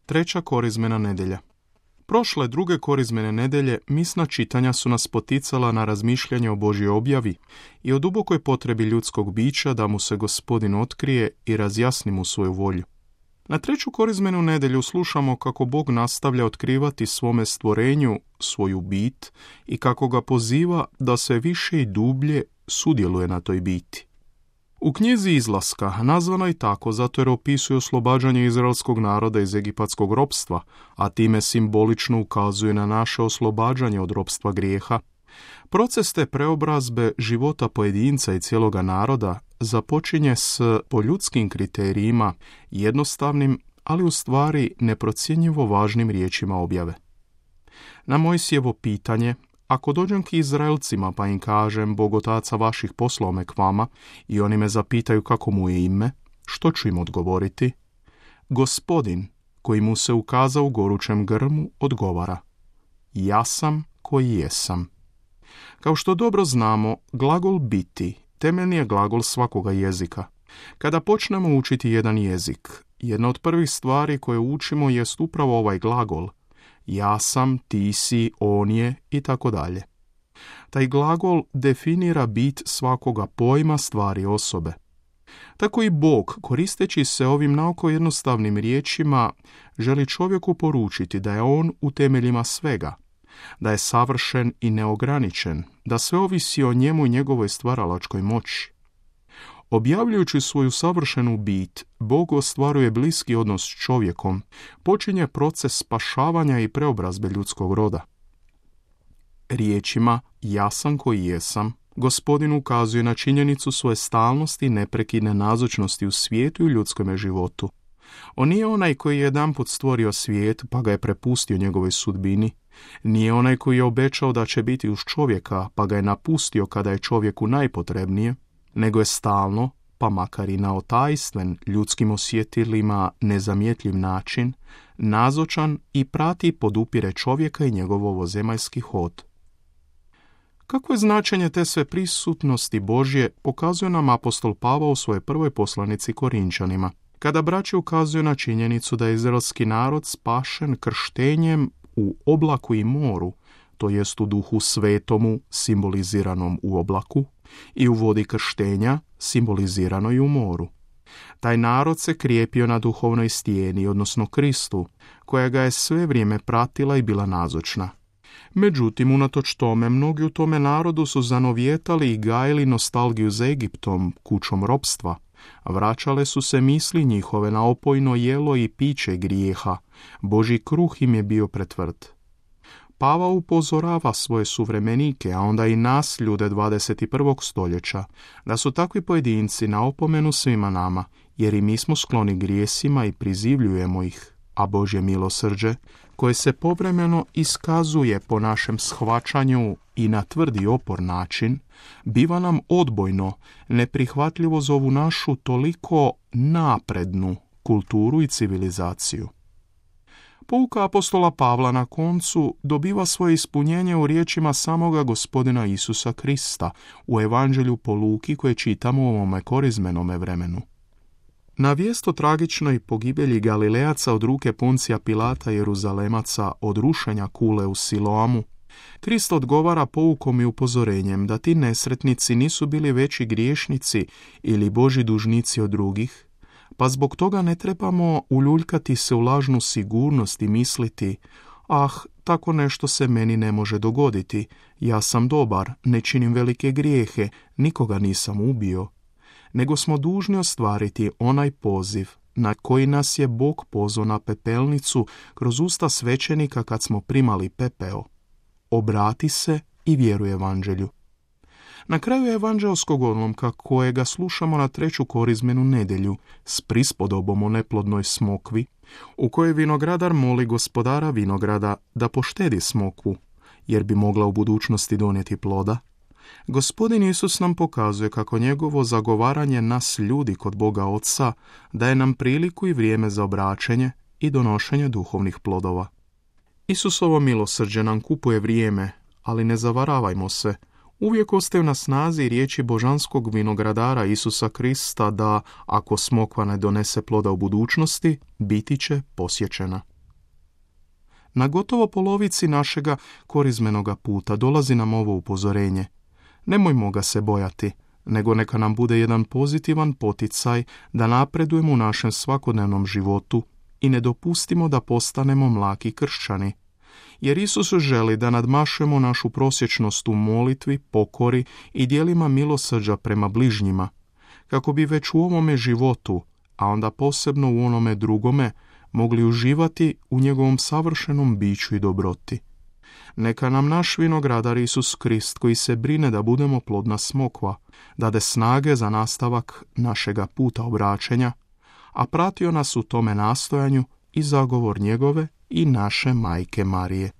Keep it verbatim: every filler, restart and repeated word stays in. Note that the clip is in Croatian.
Treća korizmena nedjelja. Prošle druge korizmene nedjelje misna čitanja su nas poticala na razmišljanje o Božjoj objavi i o dubokoj potrebi ljudskog bića da mu se Gospodin otkrije i razjasni mu svoju volju. Na treću korizmenu nedjelju slušamo kako Bog nastavlja otkrivati svome stvorenju svoju bit i kako ga poziva da sve više i dublje sudjeluje na toj biti. U knjizi Izlaska, nazvano i tako zato jer opisuje oslobađanje izraelskog naroda iz egipatskog ropstva, a time simbolično ukazuje na naše oslobađanje od ropstva grijeha, proces te preobrazbe života pojedinca i cijeloga naroda započinje s, po ljudskim kriterijima, jednostavnim, ali u stvari neprocjenjivo važnim riječima objave. Na Mojsijevo pitanje, ako dođem k Izraelcima pa im kažem Bog otaca vaših poslao me k vama i oni me zapitaju kako mu je ime, što ću im odgovoriti? Gospodin, koji mu se ukaza u gorućem grmu, odgovara: ja sam koji jesam. Kao što dobro znamo, glagol biti temeljni je glagol svakoga jezika. Kada počnemo učiti jedan jezik, jedna od prvih stvari koje učimo jest upravo ovaj glagol. Ja sam, ti si, on je i tako dalje. Taj glagol definira bit svakoga pojma, stvari, osobe. Tako i Bog, koristeći se ovim naoko jednostavnim riječima, želi čovjeku poručiti da je on u temeljima svega, da je savršen i neograničen, da sve ovisi o njemu i njegovoj stvaralačkoj moći. Objavljujući svoju savršenu bit, Bog ostvaruje bliski odnos s čovjekom, počinje proces spašavanja i preobrazbe ljudskog roda. Riječima ja sam koji jesam, Gospodin ukazuje na činjenicu svoje stalnosti i neprekidne nazočnosti u svijetu i ljudskome životu. On nije onaj koji je jedanput stvorio svijet pa ga je prepustio njegovoj sudbini. Nije onaj koji je obećao da će biti uz čovjeka pa ga je napustio kada je čovjeku najpotrebnije, nego je stalno, pa makar i na otajstven, ljudskim osjetilima nezamjetljiv način, nazočan i prati i podupire čovjeka i njegov ovozemaljski hod. Kako je značenje te sve prisutnosti Božje pokazuje nam apostol Pavao u svojoj prvoj poslanici Korinčanima, kada braći ukazuju na činjenicu da je izraelski narod spašen krštenjem u oblaku i moru, to jest u duhu svetomu simboliziranom u oblaku, i u vodi krštenja simboliziranoj u moru. Taj narod se krijepio na duhovnoj stijeni, odnosno Kristu, koja ga je sve vrijeme pratila i bila nazočna. Međutim, unatoč tome, mnogi u tome narodu su zanovjetali i gajili nostalgiju za Egiptom, kućom ropstva. Vraćale su se misli njihove na opojno jelo i piće grijeha. Božji kruh im je bio pretvrd. Pavao upozorava svoje suvremenike, a onda i nas, ljude dvadeset prvog stoljeća, da su takvi pojedinci na opomenu svima nama, jer i mi smo skloni grijesima i prizivljujemo ih, a Božje milosrđe, koje se povremeno iskazuje po našem shvaćanju i na tvrdi opor način, biva nam odbojno, neprihvatljivo za ovu našu toliko naprednu kulturu i civilizaciju. Pouka apostola Pavla na koncu dobiva svoje ispunjenje u riječima samoga Gospodina Isusa Krista u Evanđelju po Luki koje čitamo u ovome korizmenome vremenu. Na vijest o tragičnoj pogibelji Galilejaca od ruke Poncija Pilata i Jeruzalemaca od rušenja kule u Siloamu, Krist odgovara poukom i upozorenjem da ti nesretnici nisu bili veći griješnici ili Božji dužnici od drugih, pa zbog toga ne trebamo uljuljkati se u lažnu sigurnost i misliti: ah, tako nešto se meni ne može dogoditi, ja sam dobar, ne činim velike grijehe, nikoga nisam ubio. Nego smo dužni ostvariti onaj poziv na koji nas je Bog pozvao na pepelnicu kroz usta svećenika kad smo primali pepeo. Obrati se i vjeruj evanđelju. Na kraju evanđelskog odlomka kojega slušamo na treću korizmenu nedjelju s prispodobom o neplodnoj smokvi, u kojoj vinogradar moli gospodara vinograda da poštedi smokvu, jer bi mogla u budućnosti donijeti ploda, Gospodin Isus nam pokazuje kako njegovo zagovaranje nas ljudi kod Boga Oca daje nam priliku i vrijeme za obraćenje i donošenje duhovnih plodova. Isusovo milosrđe nam kupuje vrijeme, ali ne zavaravajmo se. Uvijek ostaju na snazi riječi božanskog vinogradara Isusa Krista da, ako smokva ne donese ploda u budućnosti, biti će posjećena. Na gotovo polovici našega korizmenoga puta dolazi nam ovo upozorenje. Nemojmo ga se bojati, nego neka nam bude jedan pozitivan poticaj da napredujemo u našem svakodnevnom životu i ne dopustimo da postanemo mlaki kršćani. Jer Isus želi da nadmašujemo našu prosječnost u molitvi, pokori i djelima milosrđa prema bližnjima, kako bi već u ovome životu, a onda posebno u onome drugome, mogli uživati u njegovom savršenom biću i dobroti. Neka nam naš vinogradar Isus Krist, koji se brine da budemo plodna smokva, dade snage za nastavak našega puta obraćenja, a pratio nas u tome nastojanju i zagovor njegove i naše majke Marije.